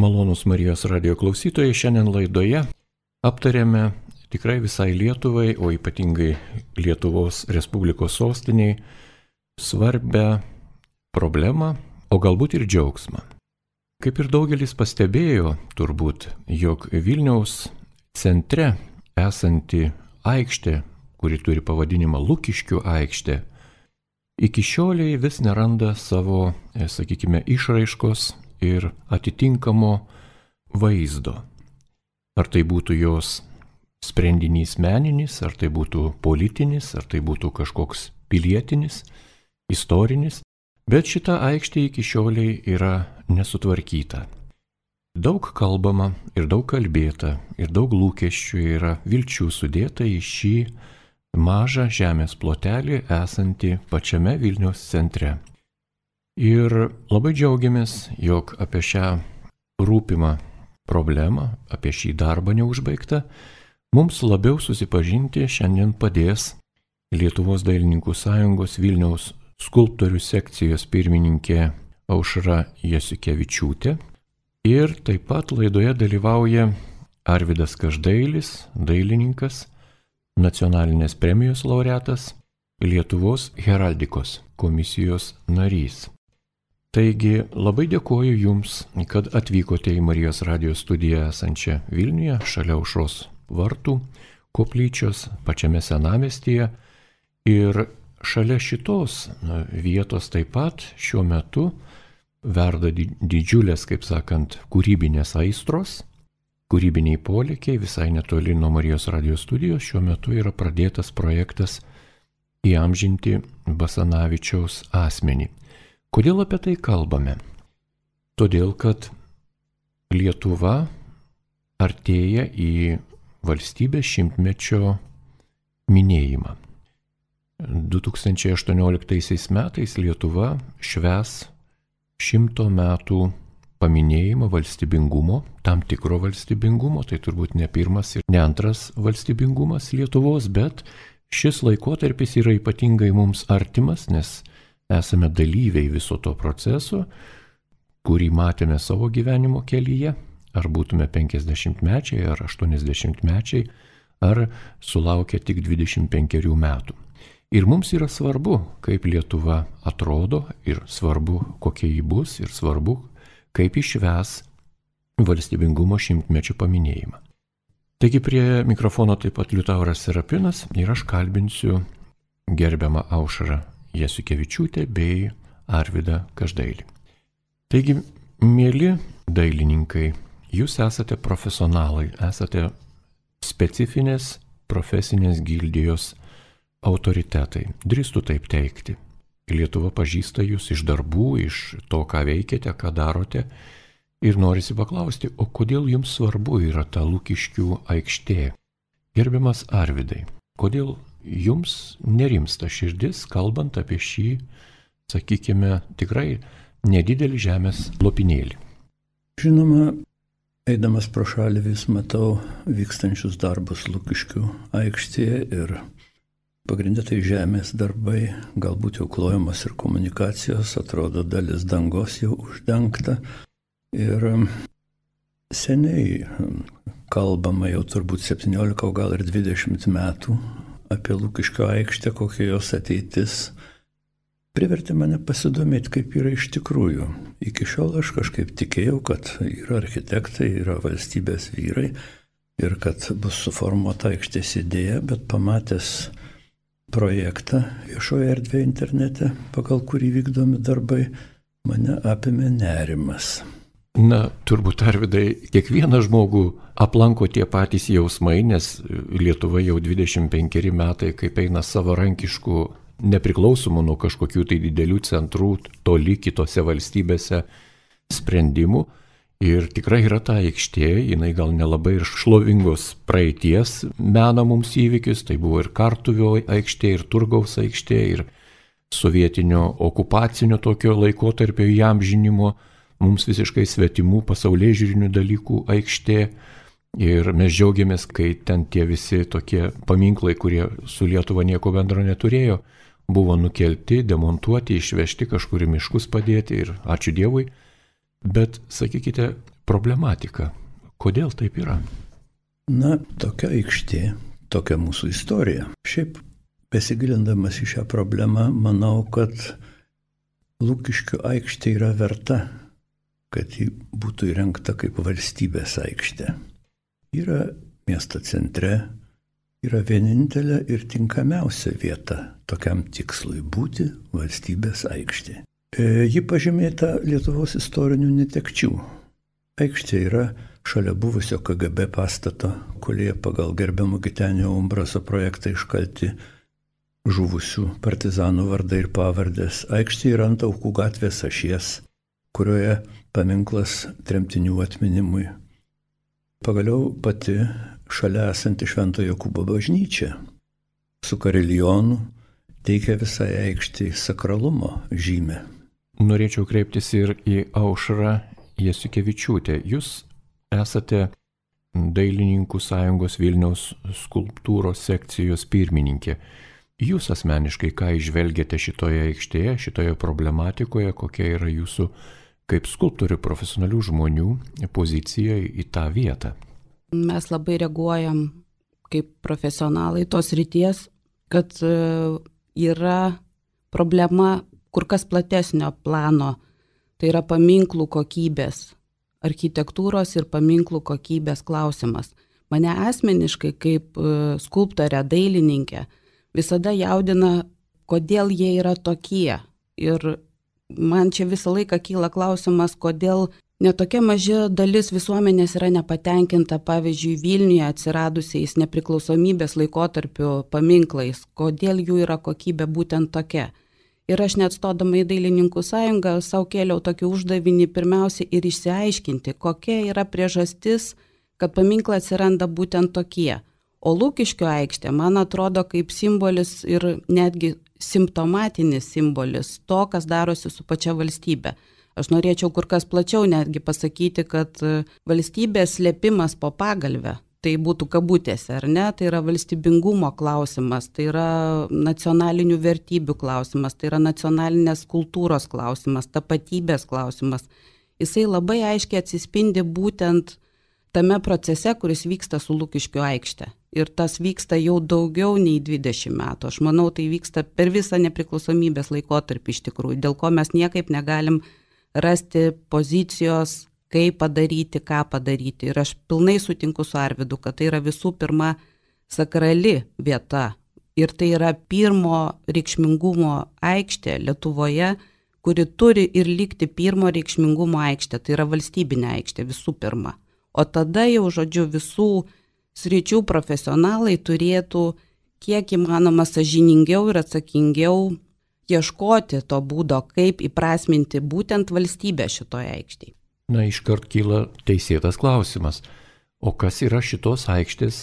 Malonūs Marijos radio klausytojai, šiandien laidoje aptarėme tikrai visai Lietuvai, o ypatingai Lietuvos Respublikos sostiniai, svarbę problemą, o galbūt ir džiaugsmą. Kaip ir daugelis pastebėjo, turbūt, jog Vilniaus centre esanti aikštė, kuri turi pavadinimą Lukiškių aikštė, iki šioliai vis neranda savo, išraiškos ir atitinkamo vaizdo. Ar tai būtų jos sprendinys meninis, ar tai būtų politinis, ar tai būtų kažkoks pilietinis, istorinis, bet šita aikštė iki šioliai yra nesutvarkyta. Daug kalbama ir daug kalbėta ir daug lūkesčių yra vilčių sudėta į šį mažą žemės plotelį esantį pačiame Vilniaus centre. Ir labai džiaugiamės, jog apie šią rūpimą problemą, apie šį darbą neužbaigtą, mums labiau susipažinti šiandien padės Lietuvos dailininkų sąjungos Vilniaus skulptorių sekcijos pirmininkė Aušra Jasiukevičiūtė. Ir taip pat laidoje dalyvauja Arvydas Každailis, dailininkas, nacionalinės premijos laureatas, Lietuvos heraldikos komisijos narys. Taigi labai dėkoju Jums, kad atvykote į Marijos radio studiją esančią Vilniuje, šalia Aušros vartų, koplyčios, pačiame senamiestyje. Ir šalia šitos vietos taip pat šiuo metu verda didžiulės, kūrybinės aistros, kūrybiniai polėkiai. Visai netoli nuo Marijos radio studijos šiuo metu yra pradėtas projektas įamžinti Basanavičiaus asmenį. Kodėl apie tai kalbame? Todėl, kad Lietuva artėja į valstybės šimtmečio minėjimą. 2018 metais Lietuva švęs 100 metų paminėjimą valstybingumo, tam tikro valstybingumo, tai turbūt ne pirmas ir ne antras valstybingumas Lietuvos, bet šis laikotarpis yra ypatingai mums artimas, nes esame dalyviai viso to proceso, kurį matėme savo gyvenimo kelyje, ar būtume 50-mečiai, ar 80-mečiai, ar sulaukę tik 25 metų. Ir mums yra svarbu, kaip Lietuva atrodo, ir svarbu, kokia ji bus, ir svarbu, kaip išves valstybingumo šimtmečio paminėjimą. Taigi prie mikrofono taip pat Liutauras Serapinas ir aš kalbinsiu gerbiamą Aušrą Jasiukevičiūtę bei Arvydą Každailį. Taigi, mieli dailininkai, jūs esate profesionalai, esate specifinės profesinės gildijos autoritetai. Drįstu taip teigti. Lietuva pažįsta jūs iš darbų, iš to, ką veikiate, ką darote. Ir norisi paklausti, o kodėl jums svarbu yra ta Lukiškių aikštė? Gerbiamas Arvydai, kodėl jums nerimsta širdis, kalbant apie šį, tikrai nedidelį žemės lopinėlį? Žinoma, eidamas pro šalį vis matau vykstančius darbus Lukiškių aikštėje ir pagrindė tai žemės darbai, galbūt jau klojamos ir komunikacijos, atrodo dalis dangos jau uždengta. Ir seniai kalbama jau turbūt 17, o gal ir 20 metų apie Lukiškių aikštę, kokia jos ateitis, privertė mane pasidomėti, kaip yra iš tikrųjų. Iki šiol aš kažkaip tikėjau, kad yra architektai, yra valstybės vyrai ir kad bus suformuota aikštės idėja, bet pamatęs projektą viešoje erdvėje internete, pagal kurį vykdomi darbai, mane apėmė nerimas. Na, turbūt, Arvydai, kiekvieną žmogų aplanko tie patys jausmai, nes Lietuva jau 25 metai, kaip eina savarankiškų, nepriklausomų nuo kažkokių tai didelių centrų, toli kitose valstybėse sprendimų. Ir tikrai yra ta aikštė, jinai gal nelabai ir šlovingos praeities mena mums įvykius, tai buvo ir Kartuvio aikštė, ir Turgaus aikštė, ir sovietinio okupacinio tokio laikotarpio įamžinimo, mums visiškai svetimų pasaulėžiūrinių dalykų aikštė. Ir mes džiaugiamės, kai ten tie visi tokie paminklai, kurie su Lietuva nieko bendro neturėjo, buvo nukelti, demontuoti, išvežti, kažkur į miškus padėti ir ačiū Dievui. Bet, sakykite, problematiką. Kodėl taip yra? Na, tokia aikštė, tokia mūsų istorija. Šiaip besigilindamas į šią problemą, manau, kad Lukiškių aikštė yra verta, kad ji būtų įrengta kaip valstybės aikštė. Yra miesto centre, yra vienintelė ir tinkamiausia vieta tokiam tikslui būti valstybės aikštė. Ji pažymėta Lietuvos istorinių netekčių. Aikštė yra šalia buvusio KGB pastato, kurioje pagal gerbiamo Gitenio Umbraso projektą iškalti žuvusių partizanų vardai ir pavardės. Aikštė yra ant Aukų gatvės ašies, kurioje paminklas tremtinių atminimui. Pagaliau pati šalia esanti Švento Jokūbo bažnyčia su karilionu teikia visai aikštei sakralumo žymę. Norėčiau kreiptis ir į Aušrą Jasiukevičiūtę. Jūs esate Dailininkų sąjungos Vilniaus skulptūros sekcijos pirmininkė. Jūs asmeniškai ką įžvelgiate šitoje aikštėje, šitoje problematikoje, kokia yra jūsų kaip skulptorių profesionalių žmonių pozicija į tą vietą? Mes labai reaguojam kaip profesionalai tos ryties, kad yra problema kur kas platesnio plano, tai yra paminklų kokybės, architektūros ir paminklų kokybės klausimas. Mane asmeniškai kaip skulptorę, dailininkę visada jaudina, kodėl jie yra tokie. Ir man čia visą laiką kyla klausimas, kodėl netokia maža dalis visuomenės yra nepatenkinta, pavyzdžiui, Vilniuje atsiradusiais nepriklausomybės laikotarpiu paminklais, kodėl jų yra kokybė būtent tokia. Ir aš net stodama į Dailininkų sąjungą savo kėliau tokį uždavinį pirmiausia ir išsiaiškinti, kokia yra priežastis, kad paminklai atsiranda būtent tokie. O Lukiškių aikštė, man atrodo, kaip simbolis ir netgi simptomatinis simbolis to, kas darosi su pačia valstybe. Aš norėčiau kur kas plačiau netgi pasakyti, kad valstybės slėpimas po pagalvę, tai būtų kabutėse, ar ne, tai yra valstybingumo klausimas, tai yra nacionalinių vertybių klausimas, tai yra nacionalinės kultūros klausimas, tapatybės klausimas. Jisai labai aiškiai atsispindi būtent tame procese, kuris vyksta su Lukiškių aikšte. Ir tas vyksta jau daugiau nei 20 metų. Aš manau, tai vyksta per visą nepriklausomybės laikotarpį iš tikrųjų, dėl ko mes niekaip negalim rasti pozicijos, kaip padaryti, ką padaryti. Ir aš pilnai sutinku su Arvydu, kad tai yra visų pirma sakrali vieta. Ir tai yra pirmo reikšmingumo aikštė Lietuvoje, kuri turi ir likti pirmo reikšmingumo aikštė. Tai yra valstybinė aikštė visų pirma. O tada jau, žodžiu, visų sričių profesionalai turėtų kiek įmanoma sąžiningiau ir atsakingiau ieškoti to būdo, kaip įprasminti būtent valstybę šitoje aikštėje. Na, iškart kyla teisėtas klausimas. O kas yra šitos aikštės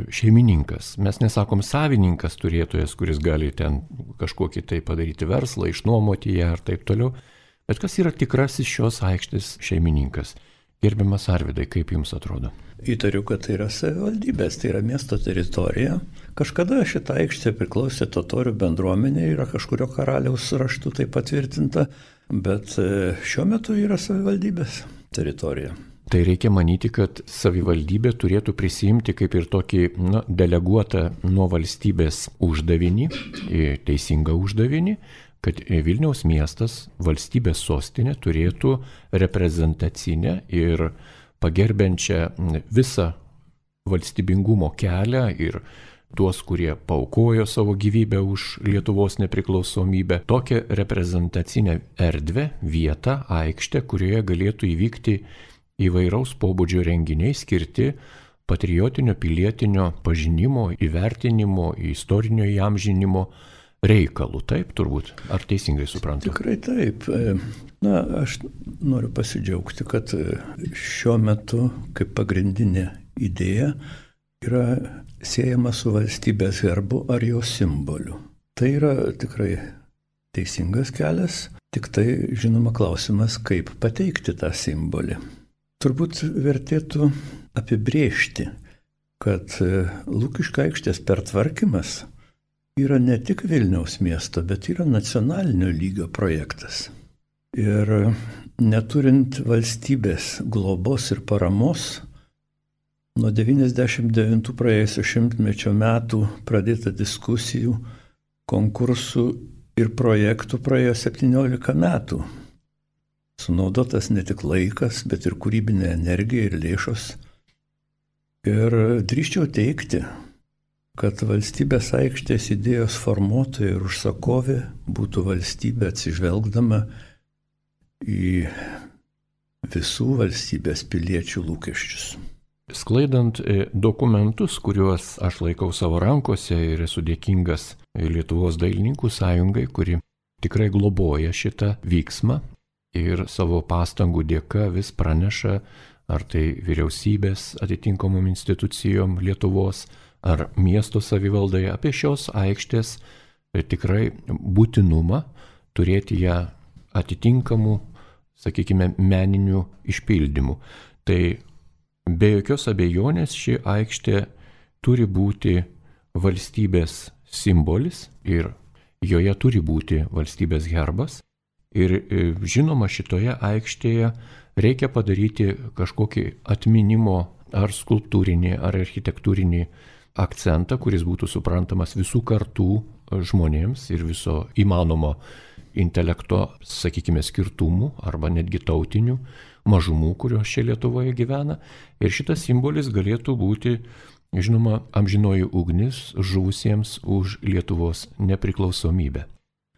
šeimininkas? Mes nesakom savininkas, turėtojas, kuris gali ten kažkokį tai padaryti verslą, išnuomoti ją ar taip toliau. Bet kas yra tikrasis šios aikštės šeimininkas? Gerbiamas Arvydai, kaip jums atrodo? Įtariu, kad tai yra savivaldybės, tai yra miesto teritorija. Kažkada šita aikštė priklausė totorių bendruomenė, yra kažkurio karaliaus raštu tai patvirtinta, bet šiuo metu yra savivaldybės teritorija. Tai reikia manyti, kad savivaldybė turėtų prisimti kaip ir tokį deleguotą nuo valstybės uždavinį, teisingą uždavinį, kad Vilniaus miestas, valstybės sostinė, turėtų reprezentacinę ir pagerbiančią visą valstybingumo kelią ir tuos, kurie paaukojo savo gyvybę už Lietuvos nepriklausomybę, tokią reprezentacinę erdvę, vietą, aikštę, kurioje galėtų įvykti įvairaus pobūdžio renginiai skirti patriotinio, pilietinio pažinimo, įvertinimo, istorinio įamžinimo reikalų. Taip, turbūt. Ar teisingai suprantu? Tikrai taip. Na, aš noriu pasidžiaugti, kad šiuo metu kaip pagrindinė idėja yra siejama su valstybės herbu ar jo simboliu. Tai yra tikrai teisingas kelias, tik tai žinoma klausimas, kaip pateikti tą simbolį. Turbūt vertėtų apibrėžti, kad Lukiškių aikštės pertvarkymas yra ne tik Vilniaus miesto, bet yra nacionalinio lygio projektas. Ir neturint valstybės globos ir paramos, nuo 99 praėjusio šimtmečio metų pradėta diskusijų, konkursų ir projektų praėjo 17 metų. Sunaudotas ne tik laikas, bet ir kūrybinė energija ir lėšos. Ir drįsčiau teigti, kad valstybės aikštės idėjos formuotoja ir užsakovė būtų valstybė atsižvelgdama į visų valstybės piliečių lūkesčius. Sklaidant dokumentus, kuriuos aš laikau savo rankose ir esu dėkingas Lietuvos dailininkų sąjungai, kuri tikrai globoja šitą vyksmą ir savo pastangų dėka vis praneša, ar tai vyriausybės atitinkamom institucijom Lietuvos, ar miesto savivaldai apie šios aikštės tikrai būtinumą turėti ją atitinkamų, sakykime, meninių išpildymų. Tai be jokios abejonės ši aikštė turi būti valstybės simbolis ir joje turi būti valstybės herbas. Ir žinoma, šitoje aikštėje reikia padaryti kažkokį atminimo ar skulptūrinį, ar architektūrinį akcentą, kuris būtų suprantamas visų kartų žmonėms ir viso įmanomo intelekto, sakykime, skirtumų arba netgi tautinių mažumų, kurios čia Lietuvoje gyvena. Ir šitas simbolis galėtų būti, žinoma, amžinoji ugnis žuvusiems už Lietuvos nepriklausomybę.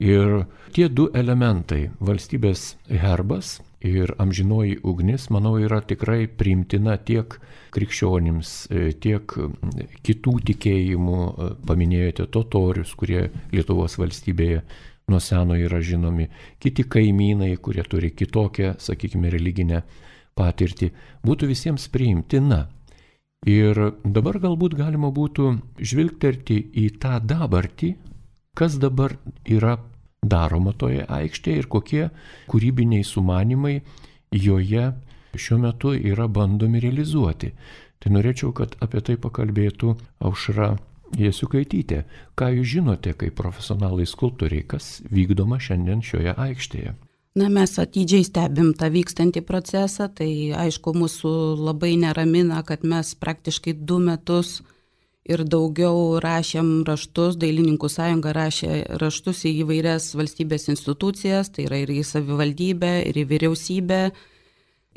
Ir tie du elementai, valstybės herbas ir amžinoji ugnis, manau, yra tikrai priimtina tiek krikščionims, tiek kitų tikėjimų, paminėjote totorius, kurie Lietuvos valstybėje nuo seno yra žinomi, kiti kaimynai, kurie turi kitokią, sakykime, religinę patirtį, būtų visiems priimtina. Ir dabar galbūt galima būtų žvilgterti į tą dabartį, kas dabar yra daroma toje aikštėje ir kokie kūrybiniai sumanimai joje šiuo metu yra bandomi realizuoti. Tai norėčiau, kad apie tai pakalbėtų Aušra Jasiukaitytė. Ką jūs žinote kaip profesionalai skulptoriai, kas vykdoma šiandien šioje aikštėje? Na, mes atidžiai stebim tą vykstantį procesą, tai aišku, mūsų labai neramina, kad mes praktiškai 2 metus ir daugiau rašėm raštus, Dailininkų sąjunga rašė raštus į įvairias valstybės institucijas, tai yra ir į savivaldybę, ir į vyriausybę,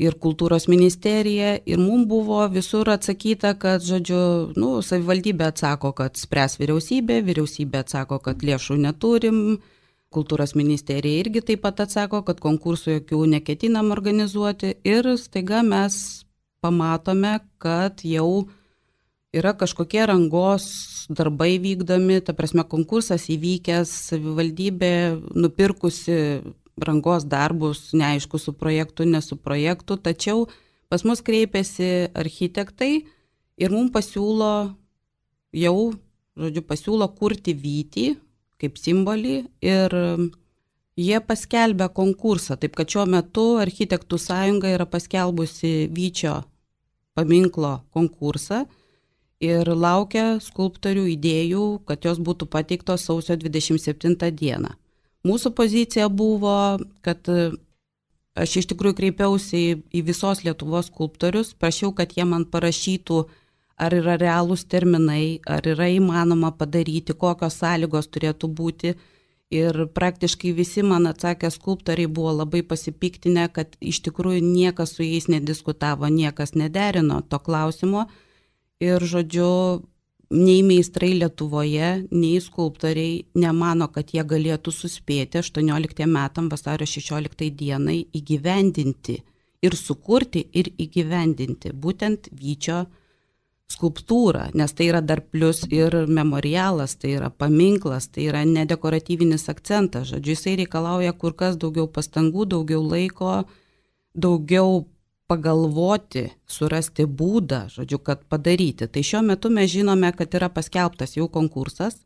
ir kultūros ministeriją, ir mums buvo visur atsakyta, kad, žodžiu, savivaldybė atsako, kad spręs vyriausybė, vyriausybė atsako, kad lėšų neturim, kultūros ministerija irgi taip pat atsako, kad konkursų jokių neketinam organizuoti, ir staiga mes pamatome, kad jau yra kažkokie rangos darbai vykdomi, ta prasme konkursas įvykęs, savivaldybė nupirkusi rangos darbus, neaišku, su projektu, ne su projektu, tačiau pas mus kreipiasi architektai ir mums pasiūlo kurti vytį kaip simbolį ir jie paskelbė konkursą, taip kad šiuo metu Architektų sąjunga yra paskelbusi Vyčio paminklo konkursą ir laukia skulptorių idėjų, kad jos būtų pateiktos sausio 27 dieną. Mūsų pozicija buvo, kad aš iš tikrųjų kreipiausi į visos Lietuvos skulptorius, prašiau, kad jie man parašytų, ar yra realūs terminai, ar yra įmanoma padaryti, kokios sąlygos turėtų būti. Ir praktiškai visi man atsakę skulptoriai buvo labai pasipiktinę, kad iš tikrųjų niekas su jais nediskutavo, niekas nederino to klausimo. Ir, žodžiu, nei meistrai Lietuvoje, nei skulptoriai nemano, kad jie galėtų suspėti 18 metam vasario 16 dienai įgyvendinti ir sukurti ir įgyvendinti būtent Vyčio skulptūrą, nes tai yra dar plus ir memorialas, tai yra paminklas, tai yra nedekoratyvinis akcentas. Žodžiu, jisai reikalauja kur kas daugiau pastangų, daugiau laiko, daugiau pagalvoti, surasti būdą, žodžiu, kad padaryti. Tai šiuo metu mes žinome, kad yra paskelbtas jau konkursas,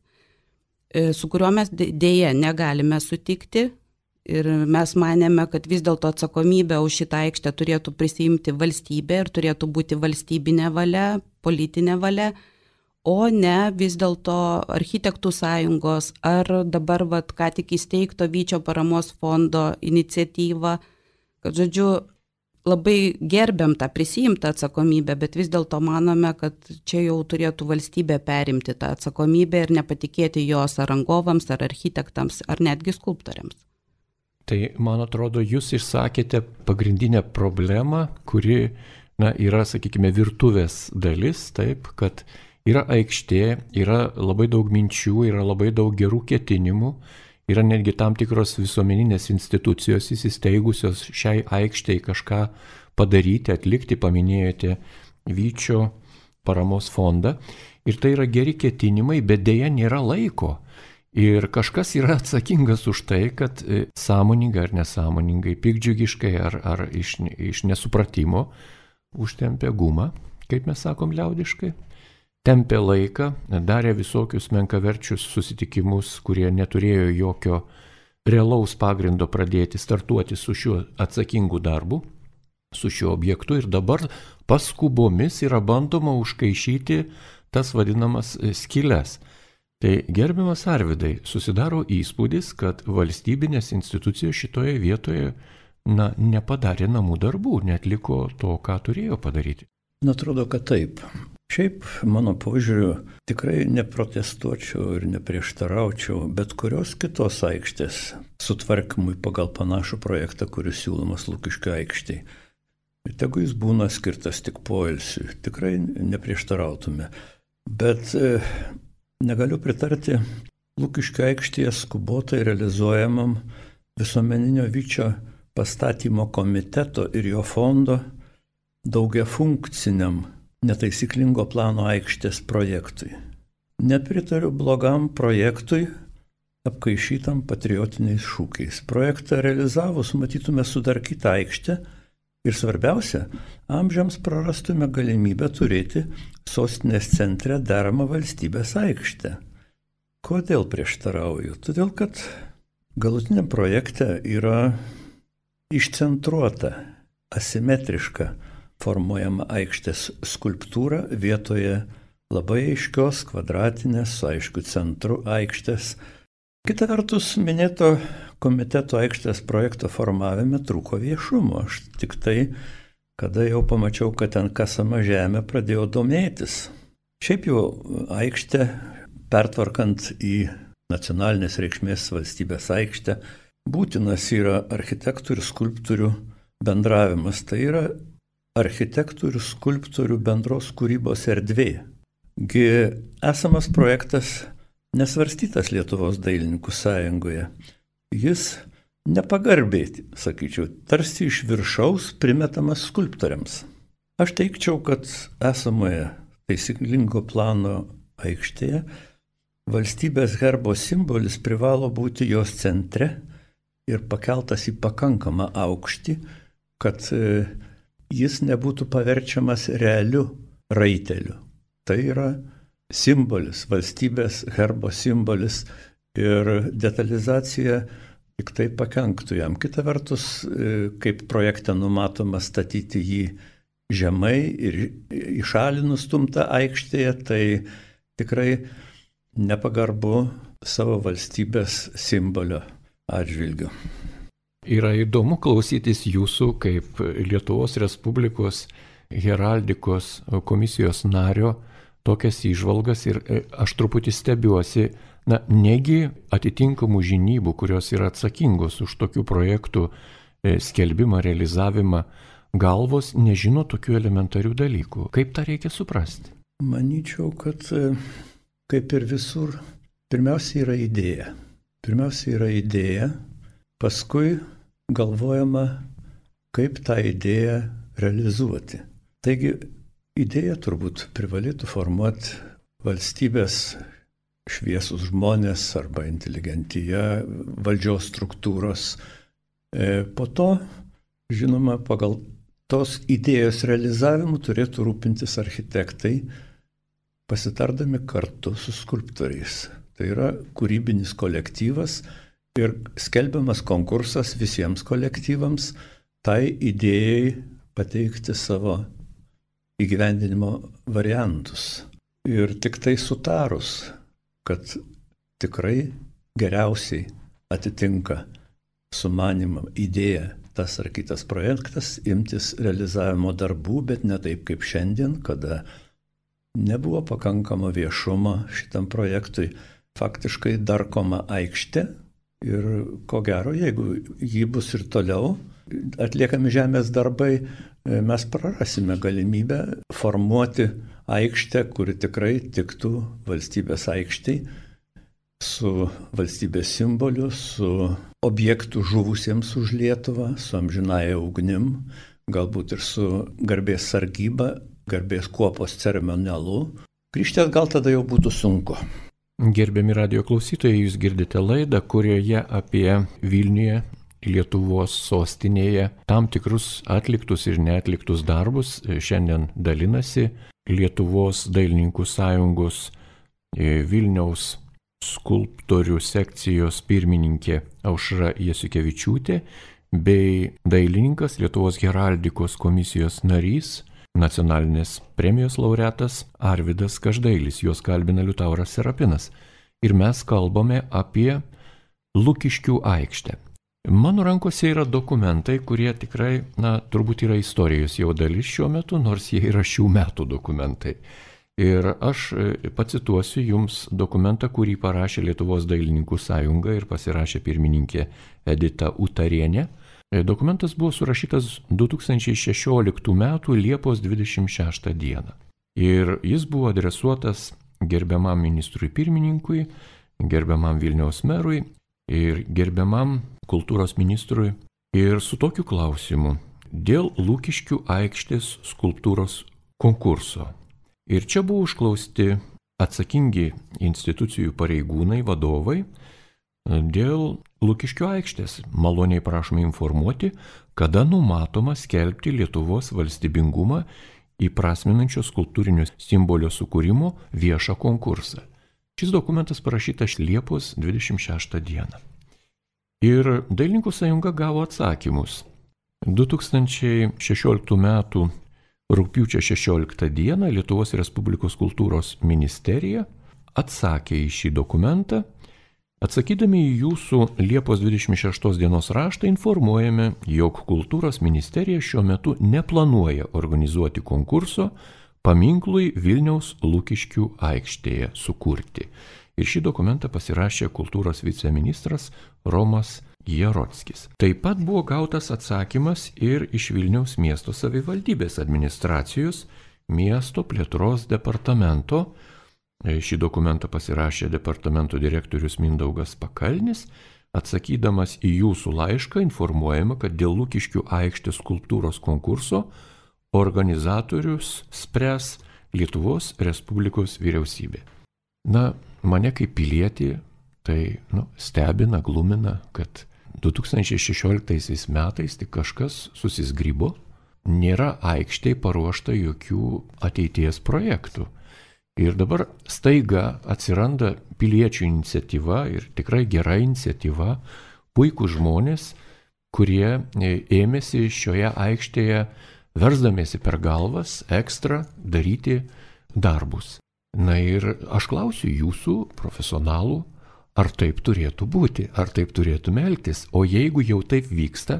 su kuriuo mes dėja negalime sutikti. Ir mes manėme, kad vis dėlto atsakomybę už šitą aikštę turėtų prisiimti valstybė ir turėtų būti valstybinė valia, politinė valia, o ne vis dėlto Architektų sąjungos ar dabar ką tik įsteigto Vyčio paramos fondo iniciatyva. kad, žodžiu, labai gerbiam tą prisiimtą atsakomybę, bet vis dėlto manome, kad čia jau turėtų valstybė perimti tą atsakomybę ir nepatikėti jos ar rangovams, ar architektams, ar netgi skulptoriams. Tai, man atrodo, jūs išsakėte pagrindinę problemą, kuri yra, sakykime, virtuvės dalis, taip, kad yra aikštė, yra labai daug minčių, yra labai daug gerų ketinimų, yra netgi tam tikros visuomeninės institucijos įsisteigusios šiai aikštei kažką padaryti, atlikti, paminėjote Vyčio paramos fondą. Ir tai yra geri ketinimai, bet dėja nėra laiko. Ir kažkas yra atsakingas už tai, kad sąmoningai ar nesąmoningai, pikdžiugiškai ar iš nesupratimo užtempė gumą, kaip mes sakom liaudiškai. Tempė laiką, darė visokius menkaverčius susitikimus, kurie neturėjo jokio realaus pagrindo pradėti startuoti su šiuo atsakingu darbu, su šiuo objektu ir dabar paskubomis yra bandoma užkaišyti tas vadinamas skyles. Tai gerbiamas Arvydai, susidaro įspūdis, kad valstybinės institucijos šitoje vietoje nepadarė namų darbų, neatliko to, ką turėjo padaryti. Atrodo, kad taip. Šiaip, mano požiūriu, tikrai neprotestuočiau ir neprieštaraučiau bet kurios kitos aikštės sutvarkymui pagal panašų projektą, kuris siūlomas Lukiškių aikštėje. Ir tegu jis būna skirtas tik poilsiui, tikrai neprieštarautume. Bet negaliu pritarti Lukiškių aikštėje skubotai realizuojamam visuomeninio Vyčio pastatymo komiteto ir jo fondo daugiafunkciniam netaisyklingo plano aikštės projektui. Nepritariu blogam projektui, apkaišytam patriotiniais šūkiais. Projektą realizavus matytume sudarkytą aikštę ir svarbiausia, amžiams prarastume galimybę turėti sostinės centre deramą valstybės aikštę. Kodėl prieštarauju? Todėl, kad galutiniam projekte yra išcentruota, asimetriška formuojama aikštės skulptūra vietoje labai aiškios kvadratinės su aiškiu centru aikštės. Kita vertus, minėto komiteto aikštės projekto formavime trūko viešumo. Aš tik tai, kada jau pamačiau, kad ten kasama žemė, pradėjau domėtis. Šiaip jau aikštė, pertvarkant į nacionalinės reikšmės valstybės aikštę, būtinas yra architektų ir skulptorių bendravimas. Tai yra architektų ir skulptorių bendros kūrybos erdvė. Gi esamas projektas nesvarstytas Lietuvos dailininkų sąjungoje. Jis nepagarbiai, sakyčiau, tarsi iš viršaus primetamas skulptoriams. Aš teikčiau, kad esamoje taisyklingo plano aikštėje valstybės herbo simbolis privalo būti jos centre ir pakeltas į pakankamą aukštį, kad jis nebūtų paverčiamas realiu raiteliu. Tai yra simbolis, valstybės herbo simbolis ir detalizacija tik tai pakenktų jam. Kita vertus, kaip projekte numatoma statyti jį žemai ir į šalį nustumtą aikštėje, tai tikrai nepagarbu savo valstybės simbolio atžvilgiu. Yra įdomu klausytis jūsų kaip Lietuvos Respublikos heraldikos komisijos nario tokias įžvalgas ir aš truputį stebiuosi, negi atitinkamų žinybų, kurios yra atsakingos už tokių projektų skelbimą, realizavimą, galvos nežino tokių elementarių dalykų. Kaip tą reikia suprasti? Manyčiau, kad kaip ir visur, pirmiausia yra idėja. Paskui galvojama, kaip tą idėją realizuoti. Taigi, idėją turbūt privalėtų formuoti valstybės šviesus žmonės arba inteligentija, valdžios struktūros. Po to, žinoma, pagal tos idėjos realizavimu turėtų rūpintis architektai, pasitardami kartu su skulptoriais. Tai yra kūrybinis kolektyvas ir skelbiamas konkursas visiems kolektyvams tai idėjai pateikti savo įgyvendinimo variantus. Ir tik tai sutarus, kad tikrai geriausiai atitinka sumanimą, idėją tas ar kitas projektas, imtis realizavimo darbų, bet ne taip kaip šiandien, kada nebuvo pakankamo viešumo šitam projektui. Faktiškai darkoma aikštė ir ko gero, jeigu jį bus ir toliau atliekami žemės darbai, mes prarasime galimybę formuoti aikštę, kuri tikrai tiktų valstybės aikštei, su valstybės simboliu, su objektų žuvusiems už Lietuvą, su amžinaja ugnim, galbūt ir su garbės sargyba, garbės kuopos ceremonialu. Grįžti atgal tada jau būtų sunku. Gerbiami radijo klausytojai, jūs girdite laidą, kurioje apie Vilniuje, Lietuvos sostinėje, tam tikrus atliktus ir neatliktus darbus šiandien dalinasi Lietuvos dailininkų sąjungos Vilniaus skulptorių sekcijos pirmininkė Aušra Jasiukevičiūtė bei dailininkas Lietuvos heraldikos komisijos narys, nacionalinės premijos laureatas Arvydas Každailis, juos kalbina Liutauras Serapinas. Ir mes kalbame apie Lukiškių aikštę. Mano rankose yra dokumentai, kurie tikrai, turbūt yra istorijos jau dalis šiuo metu, nors jie yra šių metų dokumentai. Ir aš pacituosiu jums dokumentą, kurį parašė Lietuvos dailininkų sąjunga ir pasirašė pirmininkė Edita Utarienė. Dokumentas buvo surašytas 2016 m. Liepos 26 d. Ir jis buvo adresuotas gerbiamam ministrui pirmininkui, gerbiamam Vilniaus merui ir gerbiamam kultūros ministrui. Ir su tokiu klausimu dėl Lukiškių aikštės skulptūros konkurso. Ir čia buvo užklausti atsakingi institucijų pareigūnai, vadovai, dėl Lukiškių aikštės. Maloniai prašome informuoti, kada numatoma skelbti Lietuvos valstybingumą įprasminančio skulptūrinio simbolio sukūrimo viešą konkursą. Šis dokumentas parašytas Liepos 26 d. Ir Dailininkų sąjunga gavo atsakymus. 2016 m. Rugpjūčio 16 d. Lietuvos Respublikos kultūros ministerija atsakė į šį dokumentą. Atsakydami į jūsų Liepos 26 dienos raštą informuojame, jog kultūros ministerija šiuo metu neplanuoja organizuoti konkurso paminklui Vilniaus Lukiškių aikštėje sukurti. Ir šį dokumentą pasirašė kultūros viceministras Romas Jarockis. Taip pat buvo gautas atsakymas ir iš Vilniaus miesto savivaldybės administracijos miesto plėtros departamento. Šį dokumentą pasirašė departamento direktorius Mindaugas Pakalnis. Atsakydamas į jūsų laišką informuojama, kad dėl Lukiškių aikštės skulptūros konkurso organizatorius spręs Lietuvos Respublikos vyriausybė. Mane kaip pilietį tai stebina, glumina, kad 2016 metais tik kažkas susizgrybo, nėra aikštėje paruošta jokių ateities projektų. Ir dabar staiga atsiranda piliečių iniciatyva ir tikrai gera iniciatyva, puikūs žmonės, kurie ėmėsi šioje aikštėje, versdamiesi per galvas, ekstra daryti darbus. Ir aš klausiu jūsų, profesionalų, ar taip turėtų būti, ar taip turėtume elgtis. O jeigu jau taip vyksta,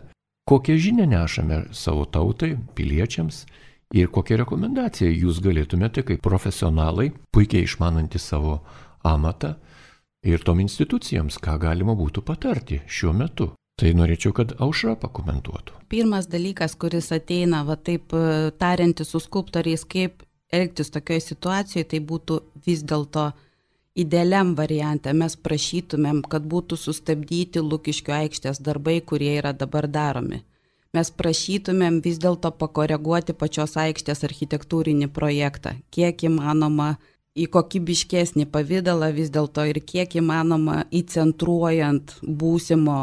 kokią žinią nešame savo tautai, piliečiams ir kokią rekomendaciją jūs galėtumėte kaip profesionalai, puikiai išmanantys savo amatą ir tom institucijoms, ką galima būtų patarti šiuo metu. Tai norėčiau, kad Aušra pakomentuotų. Pirmas dalykas, kuris ateina, taip tariantis su skulptoriais, kaip elgtis tokioje situacijoje, tai būtų vis dėlto idealiam variante. Mes prašytumėm, kad būtų sustabdyti Lukiškių aikštės darbai, kurie yra dabar daromi. Mes prašytumėm vis dėlto pakoreguoti pačios aikštės architektūrinį projektą, kiek įmanoma į kokybiškesnį pavydalą vis dėlto ir kiek įmanoma įcentruojant būsimo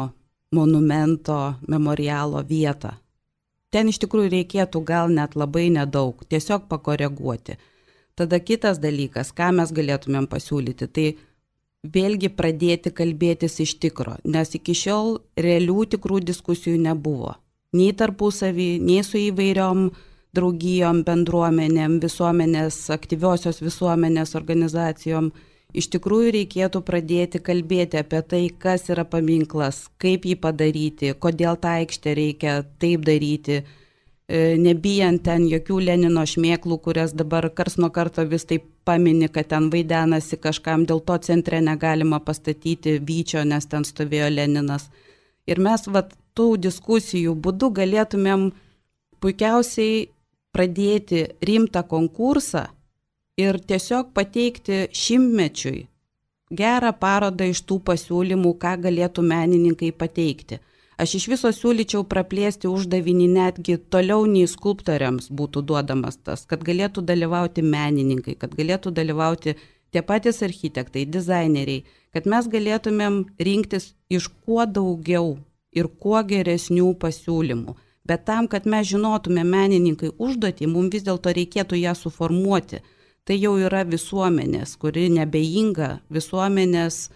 monumento, memorialo vietą. Ten iš tikrųjų reikėtų gal net labai nedaug, tiesiog pakoreguoti. Tada kitas dalykas, ką mes galėtumėm pasiūlyti, tai vėlgi pradėti kalbėtis iš tikro, nes iki šiol realių tikrų diskusijų nebuvo. Nei tarpusavį, nei su įvairiom draugijom, bendruomenėm, visuomenės, aktyviosios visuomenės organizacijom. iš tikrųjų reikėtų pradėti kalbėti apie tai, kas yra paminklas, kaip jį padaryti, kodėl tą aikštę reikia taip daryti, nebijant ten jokių Lenino šmėklų, kurias dabar kars nuo karto vis taip pamini, kad ten vaidenasi kažkam, dėl to centre negalima pastatyti vyčio, nes ten stovėjo Leninas. Ir mes tų diskusijų būdu galėtumėm puikiausiai pradėti rimtą konkursą ir tiesiog pateikti šimtmečiui gerą parodą iš tų pasiūlymų, ką galėtų menininkai pateikti. Aš iš viso siūlyčiau praplėsti uždavinį netgi toliau nei skulptoriams būtų duodamas tas, kad galėtų dalyvauti menininkai, kad galėtų dalyvauti tie patys architektai, dizaineriai, kad mes galėtumėm rinktis iš kuo daugiau ir kuo geresnių pasiūlymų. Bet tam, kad mes žinotume menininkai užduotį, mums vis dėlto reikėtų ją suformuoti. Tai jau yra visuomenės, kuri nebejinga, visuomenės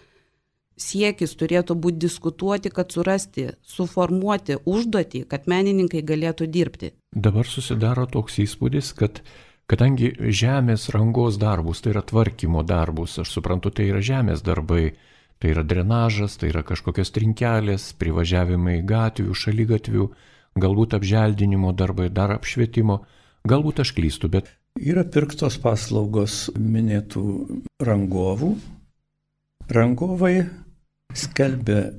siekis turėtų būti diskutuoti, kad surasti, suformuoti užduotį, kad menininkai galėtų dirbti. Dabar susidaro toks įspūdis, kad kadangi žemės rangos darbus, tai yra tvarkymo darbus, aš suprantu, tai yra žemės darbai, tai yra drenažas, tai yra kažkokios trinkelės, privažiavimai gatvių, šaligatvių, galbūt apželdinimo darbai, dar apšvietimo, galbūt aš klystu, bet... Yra pirktos paslaugos minėtų rangovų. Rangovai skelbia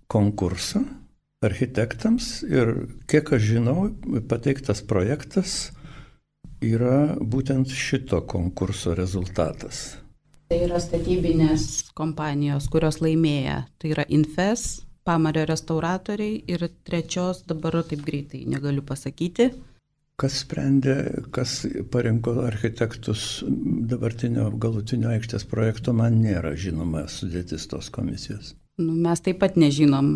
konkursą architektams ir, kiek aš žinau, pateiktas projektas yra būtent šito konkurso rezultatas. Tai yra statybinės kompanijos, kurios laimėja. Tai yra Infes, Pamario restauratoriai ir trečios, dabar taip greitai negaliu pasakyti. Kas sprendė, kas parinko architektus dabartinio galutinio aikštės projekto, man nėra žinoma sudėtis tos komisijos. Mes taip pat nežinom,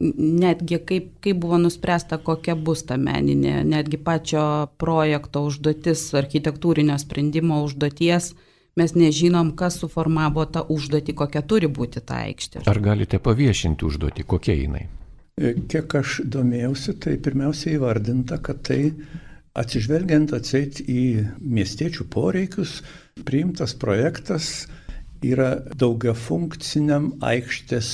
netgi kaip buvo nuspręsta, kokia bus ta meninė, netgi pačio projekto užduotis, architektūrinio sprendimo užduoties. Mes nežinom, kas suformavo tą užduotį, kokia turi būti ta aikštė. Ar galite paviešinti užduotį, kokia jinai? Kiek aš domėjausi, tai pirmiausia įvardinta, kad tai atsižvelgiant atseit į miestiečių poreikius, priimtas projektas yra daugiafunkciniam aikštės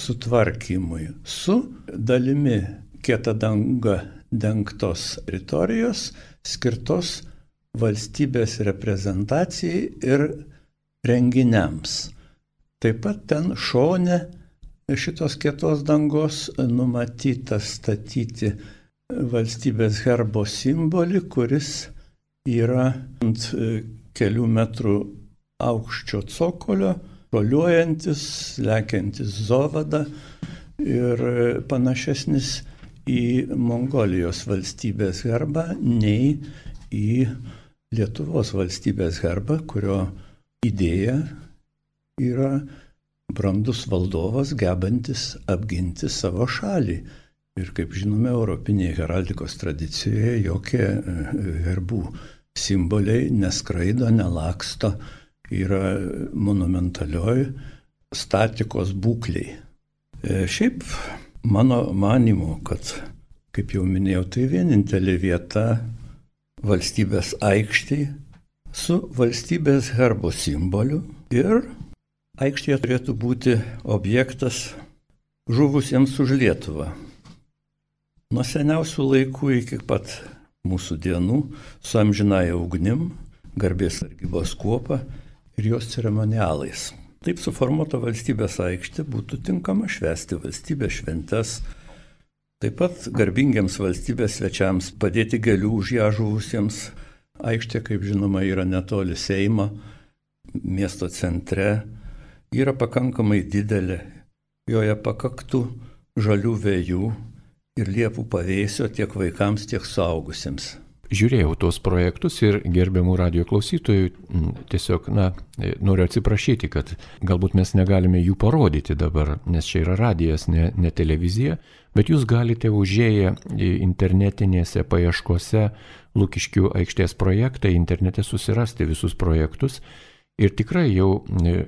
sutvarkymui su dalimi kieta danga dengtos teritorijos skirtos valstybės reprezentacijai ir renginiams. Taip pat ten šone šitos kietos dangos numatyta statyti valstybės herbo simbolį, kuris yra ant kelių metrų aukščio cokolio, šuoliuojantis, lekiantis zovada ir panašesnis į Mongolijos valstybės herbą nei į Lietuvos valstybės herbą, kurio idėja yra brandus valdovas, gebantis apginti savo šalį. Ir kaip žinome, europinėje heraldikos tradicijoje jokie herbų simboliai neskraido, nelaksto, yra monumentalioj statikos būkliai. Šiaip mano manymu, kad, kaip jau minėjau, tai vienintelė vieta valstybės aikštėje su valstybės herbo simboliu ir aikštėje turėtų būti objektas žuvusiems už Lietuvą. Nuo seniausių laikų iki pat mūsų dienų su amžinąja ugnim, garbės sargybos kuopa ir jos ceremonialais. Taip suformuota valstybės aikštė būtų tinkama švęsti valstybės šventes, taip pat garbingiems valstybės svečiams padėti gėlių už ją žuvusiems. Aikštė, kaip žinoma, yra netoli Seimo, miesto centre, yra pakankamai didelė, joje pakaktų žalių vėjų ir liepų pavėsio tiek vaikams, tiek suaugusiems. Žiūrėjau tuos projektus ir gerbiamų radijo klausytojų tiesiog, noriu atsiprašyti, kad galbūt mes negalime jų parodyti dabar, nes čia yra radijas, ne televizija, bet jūs galite užėję internetinėse paieškose Lukiškių aikštės projektą, internete susirasti visus projektus ir tikrai jau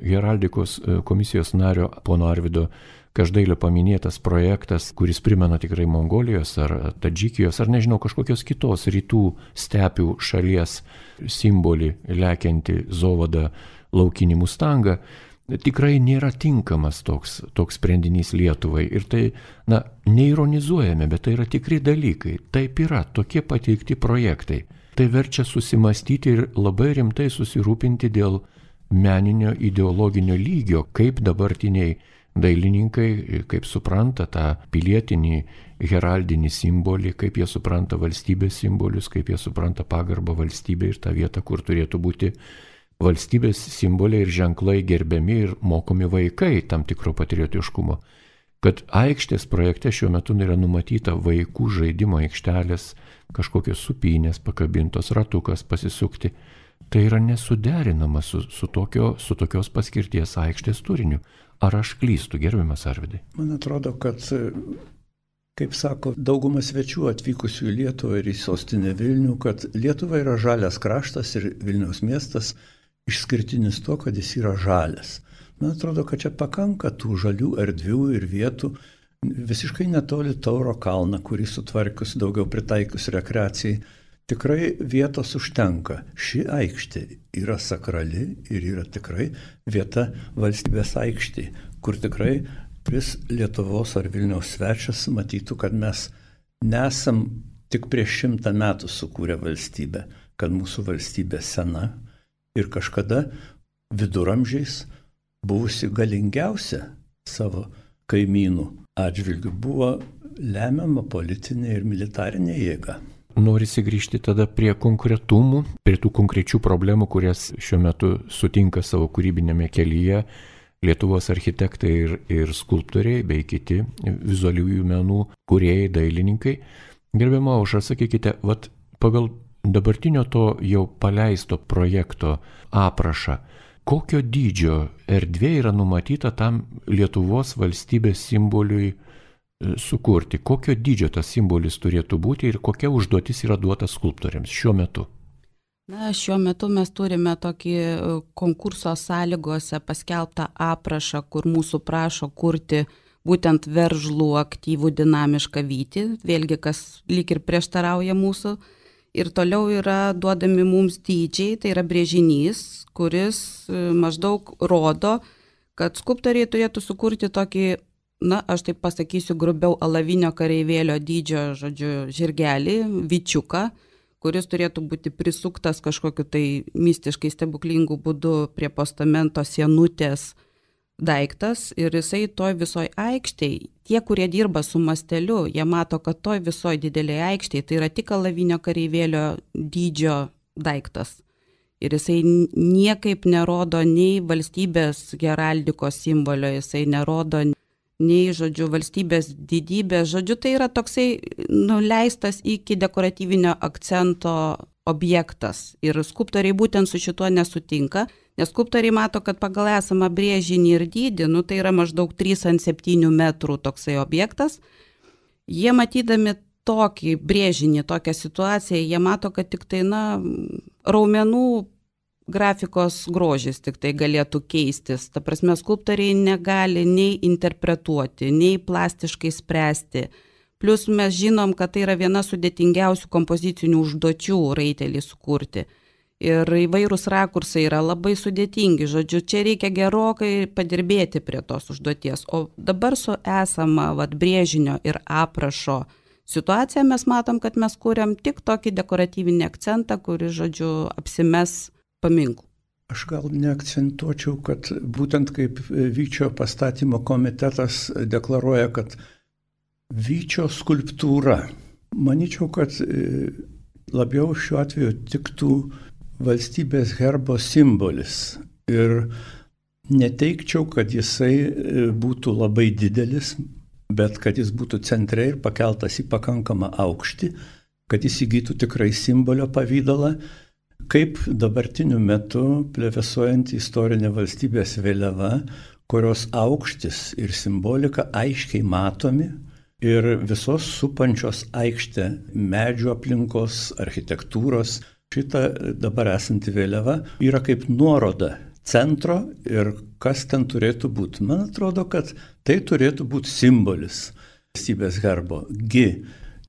heraldikos komisijos nario pono Arvydo Každailio paminėtas projektas, kuris primena tikrai Mongolijos ar Tadžikijos ar nežinau kažkokios kitos rytų stepių šalies simbolį lekianti zovadą laukinį mustangą, tikrai nėra tinkamas toks sprendinys Lietuvai. Ir tai, neironizuojame, bet tai yra tikri dalykai. Taip yra, tokie pateikti projektai. Tai verčia susimastyti ir labai rimtai susirūpinti dėl meninio ideologinio lygio, kaip dabartiniai dailininkai, kaip supranta tą pilietinį heraldinį simbolį, kaip jie supranta valstybės simbolius, kaip jie supranta pagarbą valstybė ir tą vietą, kur turėtų būti valstybės simboliai ir ženklai gerbiami ir mokomi vaikai tam tikro patriotiškumo. Kad aikštės projekte šiuo metu yra numatyta vaikų žaidimo aikštelės, kažkokios supynės pakabintos, ratukas pasisukti, tai yra nesuderinama su tokios paskirties aikštės turiniu. Ar aš klystu, gerbiamas Arvydai? Man atrodo, kad, kaip sako dauguma svečių atvykusių į Lietuvą ir į sostinę Vilnių, kad Lietuva yra žalias kraštas ir Vilniaus miestas išskirtinis to, kad jis yra žalias. Man atrodo, kad čia pakanka tų žalių erdvių ir vietų visiškai netoli Tauro kalną, kurį sutvarkius daugiau pritaikius rekreacijai. Tikrai vietos užtenka. Ši aikštė yra sakrali ir yra tikrai vieta valstybės aikštė, kur tikrai Lietuvos ar Vilniaus svečias matytų, kad mes nesam tik prieš 100 metų sukūrę valstybę, kad mūsų valstybė sena ir kažkada viduramžiais buvusi galingiausia savo kaimynų atžvilgių buvo lemiama politinė ir militarinė jėga. Norisi grįžti tada prie konkretumų, prie tų konkrečių problemų, kurias šiuo metu sutinka savo kūrybinėme kelyje Lietuvos architektai ir skulptoriai bei kiti vizualiųjų menų kūrėjai, dailininkai. Gerbiama Aušra, sakykite, pagal dabartinio to jau paleisto projekto aprašą, kokio dydžio erdvė yra numatyta tam Lietuvos valstybės simboliui sukurti, kokio dydžio tas simbolis turėtų būti ir kokia užduotis yra duota skulptoriams šiuo metu? Šiuo metu mes turime tokį konkurso sąlygose paskelbtą aprašą, kur mūsų prašo kurti būtent veržlų, aktyvų, dinamišką vytį, vėlgi kas lyg ir prieštarauja mūsų. Ir toliau yra duodami mums dydžiai, tai yra brėžinys, kuris maždaug rodo, kad skulptoriai turėtų sukurti tokį, aš taip pasakysiu grubiau, alavinio kareivėlio dydžio, žirgelį, vyčiuką, kuris turėtų būti prisuktas kažkokiu tai mistiškai stebuklingų būdu prie postamento sienutės daiktas ir jisai toj visoj aikštėj, tie, kurie dirba su masteliu, jie mato, kad toj visoj didelėje aikštėj tai yra tik alavinio kareivėlio dydžio daiktas. Ir jisai niekaip nerodo nei valstybės heraldikos simbolio, jisai nerodo nei, valstybės didybės, tai yra toksai nuleistas iki dekoratyvinio akcento objektas. Ir skulptoriai būtent su šituo nesutinka, nes skulptoriai mato, kad pagal esamą brėžinį ir dydį, tai yra maždaug 3x7 metrų toksai objektas. Jie matydami tokį brėžinį, tokią situaciją, jie mato, kad tik tai, raumenų grafikos grožis tik tai galėtų keistis. Ta prasme, skulptoriai negali nei interpretuoti, nei plastiškai spręsti. Plus mes žinom, kad tai yra viena sudėtingiausių kompozicinių užduočių raitelį sukurti. Ir įvairūs rakursai yra labai sudėtingi. Čia reikia gerokai padirbėti prie tos užduoties. O dabar su esama brėžinio ir aprašo situacija mes matom, kad mes kūrėm tik tokį dekoratyvinį akcentą, kuris, apsimes paminklų. Aš gal neakcentuočiau, kad būtent kaip Vyčio pastatymo komitetas deklaruoja, kad Vyčio skulptūra, manyčiau, kad labiau šiuo atveju tiktų valstybės herbo simbolis. Ir neteikčiau, kad jisai būtų labai didelis, bet kad jis būtų centre ir pakeltas į pakankamą aukštį, kad jis įgytų tikrai simbolio pavydalą, kaip dabartiniu metu plevėsuojant istorinė valstybės vėliava, kurios aukštis ir simbolika aiškiai matomi ir visos supančios aikštę medžių aplinkos, architektūros. Šita dabar esanti vėliava yra kaip nuoroda centro ir kas ten turėtų būti. Man atrodo, kad tai turėtų būti simbolis valstybės herbo.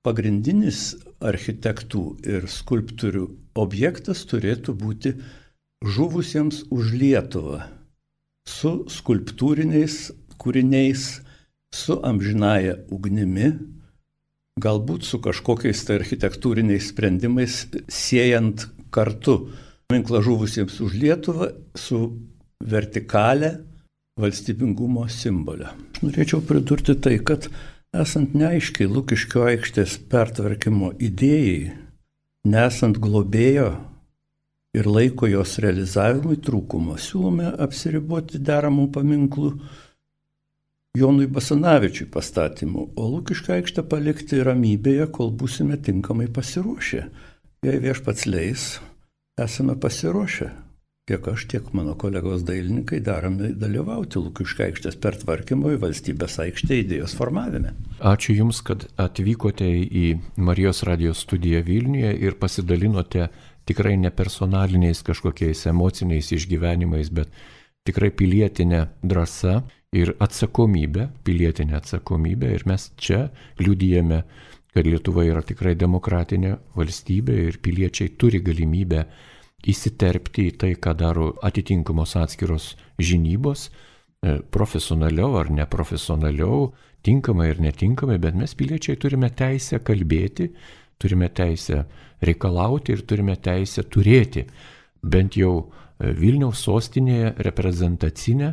Pagrindinis architektų ir skulptorių objektas turėtų būti žuvusiems už Lietuvą su skulptūriniais kūriniais, su amžinaja ugnimi, galbūt su kažkokiais tai architektūriniais sprendimais, siejant kartu paminklą žuvusiems už Lietuvą su vertikalė valstybingumo simbolio. Aš norėčiau pridurti tai, kad esant neaiškiai Lukiškių aikštės pertvarkymo idėjai, nesant globėjo ir laiko jos realizavimui trūkumo, siūlome apsiriboti deramų paminklų Jonui Basanavičiui pastatymu, o Lukiškių aikštę palikti ramybėje, kol būsime tinkamai pasiruošę. Jei viešpats leis, esame pasiruošę. Tiek aš, tiek mano kolegos dailininkai darome dalyvauti Lukiškių aikštės pertvarkymo į valstybės aikštę idėjos formavime. Ačiū Jums, kad atvykote į Marijos radijos studiją Vilniuje ir pasidalinote tikrai nepersonaliniais kažkokiais emociniais išgyvenimais, bet tikrai pilietinė drąsa ir atsakomybė, pilietinė atsakomybė. Ir mes čia liudijame, kad Lietuva yra tikrai demokratinė valstybė ir piliečiai turi galimybę įsiterpti į tai, ką daro atitinkamos atskiros žinybos, profesionaliau ar neprofesionaliau, tinkamai ir netinkamai, bet mes piliečiai turime teisę kalbėti, turime teisę reikalauti ir turime teisę turėti bent jau Vilniaus sostinėje reprezentacinę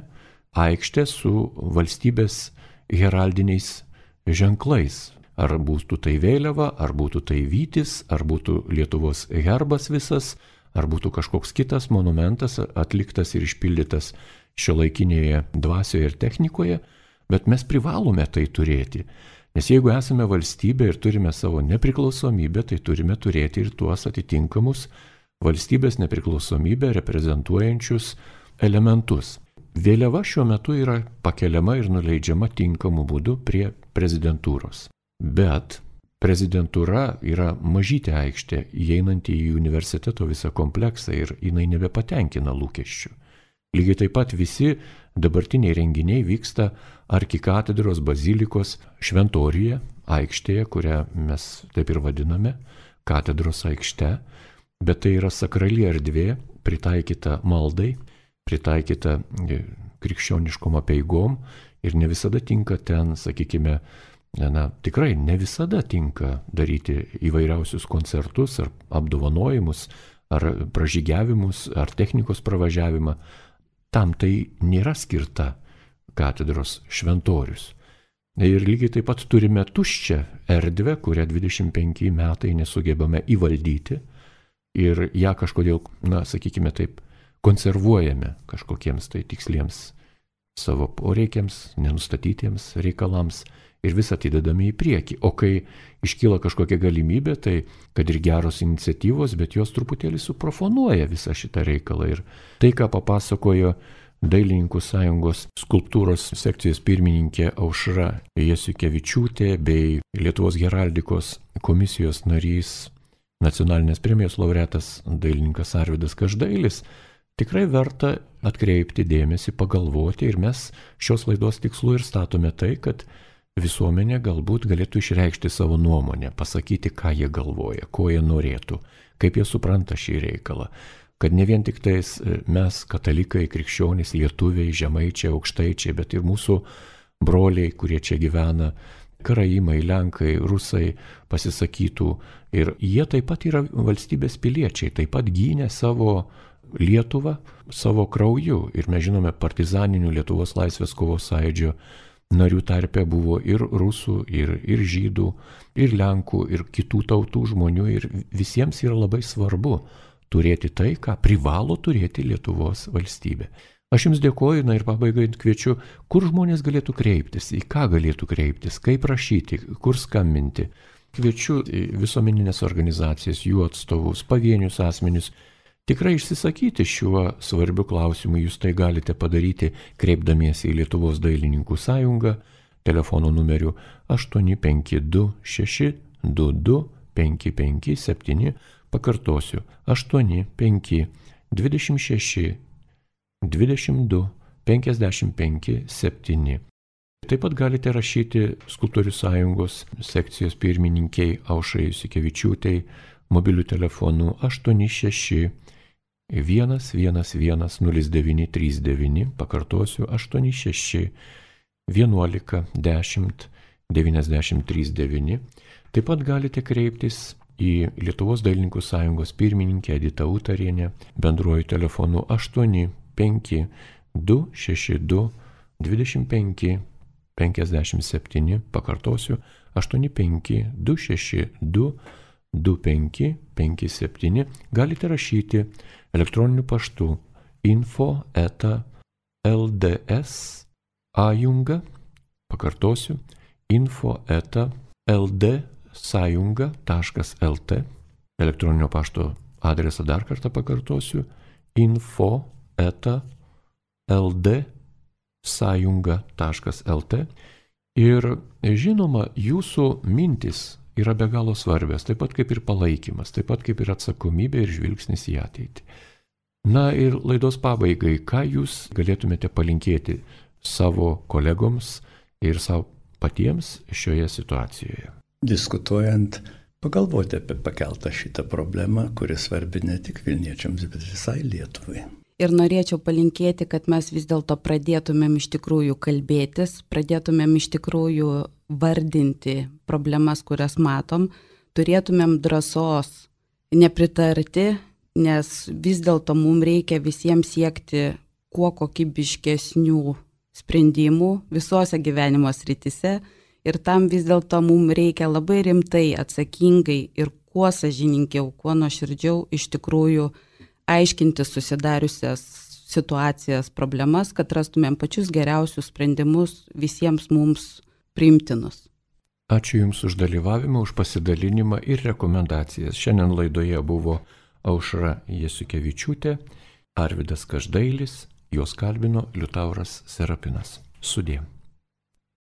aikštę su valstybės heraldiniais ženklais. Ar būtų tai vėliava, ar būtų tai vytis, ar būtų Lietuvos herbas visas, ar būtų kažkoks kitas monumentas atliktas ir išpildytas šiuolaikinėje dvasioje ir technikoje, bet mes privalome tai turėti. Nes jeigu esame valstybė ir turime savo nepriklausomybę, tai turime turėti ir tuos atitinkamus valstybės nepriklausomybę reprezentuojančius elementus. Vėliava šiuo metu yra pakeliama ir nuleidžiama tinkamu būdu prie prezidentūros. Bet prezidentūra yra mažytė aikštė, įeinanti į universiteto visą kompleksą ir jinai nebepatenkina lūkesčių. Lygiai taip pat visi dabartiniai renginiai vyksta arkikatedros bazilikos šventoriuje, aikštėje, kurią mes taip ir vadiname, katedros aikšte, bet tai yra sakrali erdvė, pritaikyta maldai, pritaikyta krikščioniškom apeigom ir ne visada tinka ten, sakykime, tikrai ne visada tinka daryti įvairiausius koncertus ar apdovanojimus, ar pražygiavimus, ar technikos pravažiavimą. Tam tai nėra skirta katedros šventorius. Ir lygiai taip pat turime tuščią erdvę, kurią 25 metai nesugebame įvaldyti ir ją kažkodėl, sakykime taip, konservuojame kažkokiems tai tiksliems savo poreikiams, nenustatytiems reikalams ir vis atidedame į priekį. O kai iškyla kažkokia galimybė, tai kad ir geros iniciatyvos, bet jos truputėlį suprofanuoja visą šitą reikalą. Ir tai, ką papasakojo Dailininkų sąjungos skulptūros sekcijos pirmininkė Aušra Jasiukevičiūtė bei Lietuvos heraldikos komisijos narys, nacionalinės premijos laureatas dailininkas Arvydas Každailis, tikrai verta atkreipti dėmesį, pagalvoti ir mes šios laidos tikslu ir statome tai, kad visuomenė galbūt galėtų išreikšti savo nuomonę, pasakyti, ką jie galvoja, ko jie norėtų, kaip jie supranta šį reikalą. Kad ne vien tik tais mes, katalikai, krikščionys, lietuviai, žemaičiai, aukštaičiai, bet ir mūsų broliai, kurie čia gyvena, karaimai, lenkai, rusai pasisakytų. Ir jie taip pat yra valstybės piliečiai, taip pat gynė savo Lietuvą savo krauju. Ir mes žinome, partizaninių Lietuvos laisvės kovos sąjūdžio narių tarpe buvo ir rusų, ir žydų, ir lenkų, ir kitų tautų žmonių. Ir visiems yra labai svarbu turėti tai, ką privalo turėti Lietuvos valstybė. Aš Jums dėkoju, ir pabaigai kviečiu, kur žmonės galėtų kreiptis, į ką galėtų kreiptis, kaip rašyti, kur skambinti. Kviečiu visuomeninės organizacijas, jų atstovus, pavienius asmenius, tikrai išsisakyti šiuo svarbiu klausimu. Jūs tai galite padaryti kreipdamiesi į Lietuvos dailininkų sąjungą telefono numeriu 852 622 557. Pakartosiu, 85 26 22 55 7. Taip pat galite rašyti Skulptorių sąjungos sekcijos pirmininkiai Aušrai Jasiukevičiūtei mobiliu telefonu 86 0939, pakartosiu 86 11 10 939. Taip pat galite kreiptis į Lietuvos dailininkų sąjungos pirmininkę Editą Utarienę bendruoju telefonu 85 262 25 57, pakartosiu 85 262 25 57. Galite rašyti elektroniniu paštu info@ldsajunga, pakartosiu info@ldsajunga.lt. Elektroninio pašto adresą dar kartą pakartosiu info@ldsajunga.lt. Ir žinoma, jūsų mintis yra be galo svarbios, taip pat kaip ir palaikymas, taip pat kaip ir atsakomybė ir žvilgsnis į ateitį. Na ir laidos pabaigai, ką jūs galėtumėte palinkėti savo kolegoms ir savo patiems šioje situacijoje? Diskutuojant, pagalvoti apie pakeltą šitą problemą, kuri svarbi ne tik Vilniečiams, bet visai Lietuvai. Ir norėčiau palinkėti, kad mes vis dėlto pradėtumėm iš tikrųjų kalbėtis, pradėtumėm iš tikrųjų vardinti problemas, kurias matom, turėtumėm drąsos nepritarti, nes vis dėlto mums reikia visiems siekti kuo kokybiškesnių sprendimų visose gyvenimo srityse ir tam vis dėlto mums reikia labai rimtai, atsakingai ir kuo sąžiningiau, kuo nuoširdžiau iš tikrųjų aiškinti susidariusias situacijas, problemas, kad rastumėm pačius geriausius sprendimus visiems mums priimtinus. Ačiū Jums už dalyvavimą, už pasidalinimą ir rekomendacijas. Šiandien laidoje buvo Aušra Jasiukevičiūtė, Arvydas Každailis, juos kalbino Liutauras Serapinas. Sudie.